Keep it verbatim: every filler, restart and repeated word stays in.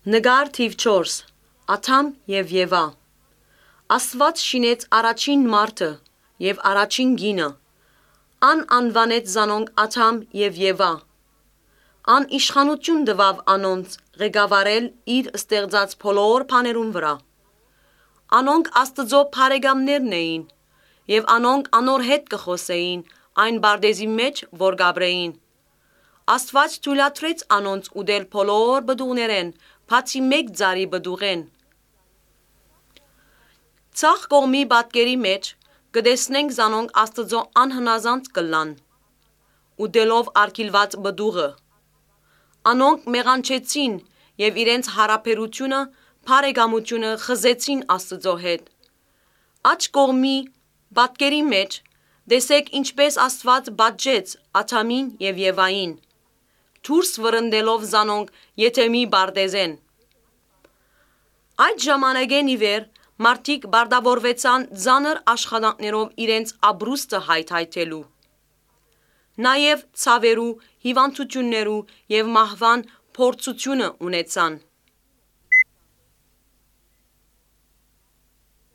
Նկար թիվ չորս։ Ադամ եւ Եվա։ Աստուած շինեց առաջին մարդը եւ առաջին կինը։ Ան անուանեց զանոնք Ադամ եւ Եվա։ Ան իշխանութիւն տուաւ անոնց ղեկավարել իր ստեղծած բոլոր բաներուն վրայ։ Անոնք Աստուծոյ բարեկամներն էին եւ անոնք անոր հետ կը խօսէին այն պարտէզին մէջ, որ կ'ապրէին։ Աստուած թոյլատրեց անոնց ուտել բոլոր պտուղներէն, բացի մէկ ծառի պտուղէն։ Ձախ կողմի պատկերի մէջ կը տեսնենք զանոնք Աստուծոյ անհնազանդ կ'ըլլան, ուտելով արգիլուած պտուղը։ Անոնք մեղանչեցին եւ իրենց յարաբերութիւնը, բարեկամութիւնը խզեցին Աստուծոյ հետ։ Աջ կողմի պատկերի մէջ տեսէք ինչպէս Աստուած պատժեց Ադամին եւ Եվային, դուրս վռնդելով զանոնք Եդեմի պարտէզէն։ Այդ ժամանակէն ի վեր մարդիկ պարտաւորուեցան ծանր աշխատանքներով իրենց ապրուստը հայթայթելու։ Նաեւ ցաւերու, հիւանդութիւններու եւ մահուան փորձութիւնը ունեցան։